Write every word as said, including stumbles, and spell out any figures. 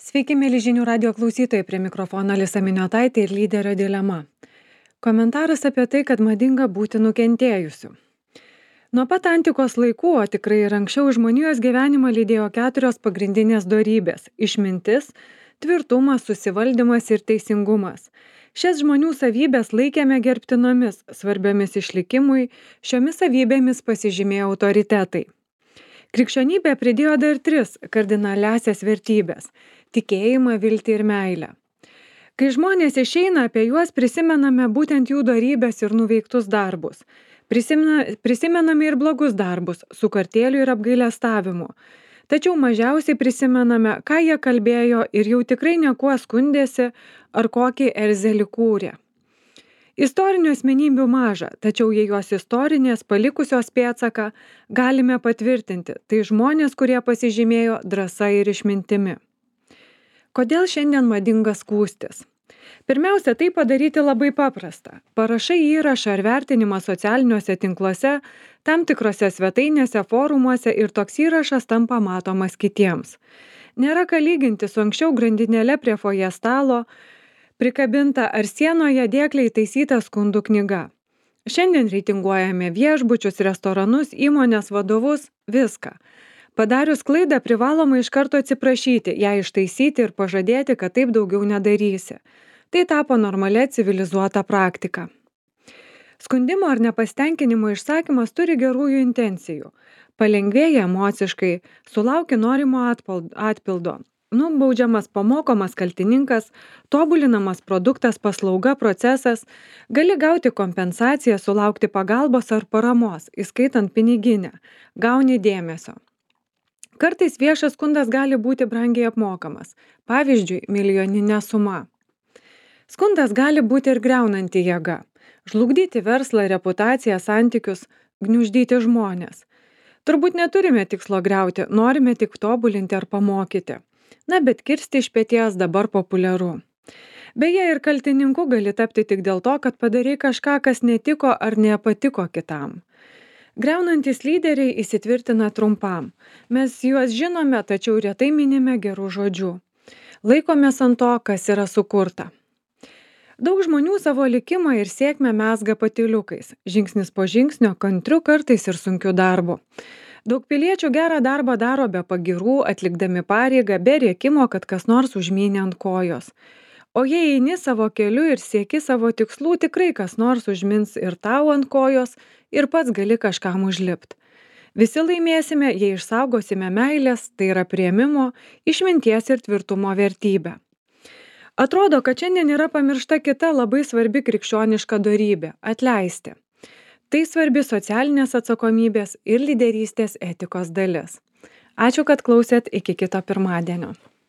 Sveiki, mėly žinių radio klausytojai, prie mikrofono Alisa Miniotaitė ir lyderio dilema. Komentaras apie tai, kad madinga būti nukentėjusiu. Nuo pat antikos laikų, o tikrai ir anksčiau, žmonijos gyvenimą lydėjo keturios pagrindinės dorybės - išmintis, tvirtumas, susivaldymas ir teisingumas. Šias žmonių savybės laikėme gerbtinomis, svarbiomis išlikimui, šiomis savybėmis pasižymėjo autoritetai. Krikščionybė pridėjo dar tris kardinaliąsias vertybės - tikėjimą, viltį ir meilę. Kai žmonės išeina, apie juos prisimename būtent jų dorybes ir nuveiktus darbus. Prisimena, prisimename ir blogus darbus, su kartėliu ir apgailestavimu. Tačiau mažiausiai prisimename, ką jie kalbėjo ir jau tikrai niekuo skundėsi ar kokį erzelį kūrė. Istorinių asmenybių maža, tačiau jei jos istorinės palikusios pėdsaką, galime patvirtinti, tai žmonės, kurie pasižymėjo drąsa ir išmintimi. Kodėl šiandien madinga skųstis? Pirmiausia, tai padaryti labai paprasta. Parašai įrašą ar vertinimą socialiniuose tinkluose, tam tikrose svetainėse, forumuose ir toks įrašas tampa matomas kitiems. Nėra ką lyginti su anksčiau grandinėle prie foje stalo, prikabinta ar sienoje dėkliai taisyta skundų knyga. Šiandien reitinguojame viešbučius, restoranus, įmonės vadovus, viską. Padarius klaidą privaloma iš karto atsiprašyti, ją ištaisyti ir pažadėti, kad taip daugiau nedarysi. Tai tapo normalia civilizuota praktika. Skundimo ar nepasitenkinimo išsakymas turi gerųjų intencijų. Palengvėja emociškai, sulauki norimo atpildo. Nubaudžiamas pamokomas kaltininkas, tobulinamas produktas, paslauga, procesas, gali gauti kompensaciją, sulaukti pagalbos ar paramos, įskaitant piniginę, gauni dėmesio. Kartais viešas skundas gali būti brangiai apmokamas, pavyzdžiui, milijoninė suma. Skundas gali būti ir griaunanti jėga, žlugdyti verslą, reputaciją, santykius, gniuždyti žmonės. Turbūt neturime tikslo griauti, norime tik tobulinti ar pamokyti. Na, bet kirsti iš peties dabar populiaru. Beje, ir kaltininku gali tapti tik dėl to, kad padarei kažką, kas netiko ar nepatiko kitam. Griaunantys lyderiai įsitvirtina trumpam. Mes juos žinome, tačiau retai minime gerų žodžių. Laikomės ant to, kas yra sukurta. Daug žmonių savo likimą ir sėkmę mezga patyliukais, žingsnis po žingsnio, kantriu kartais ir sunkiu darbu. Daug piliečių gerą darbą daro be pagirų, atlikdami pareigą, be rėkimo, kad kas nors užmynė ant kojos. O jei eini savo keliu ir sieki savo tikslų, tikrai kas nors užmins ir tau ant kojos ir pats gali kažkam užlipti. Visi laimėsime, jei išsaugosime meilės, tai yra priėmimo, išminties ir tvirtumo vertybę. Atrodo, kad šiandien yra pamiršta kita labai svarbi krikščioniška dorybė – atleisti. Tai svarbi socialinės atsakomybės ir lyderystės etikos dalis. Ačiū, kad klausėt, iki kito pirmadienio.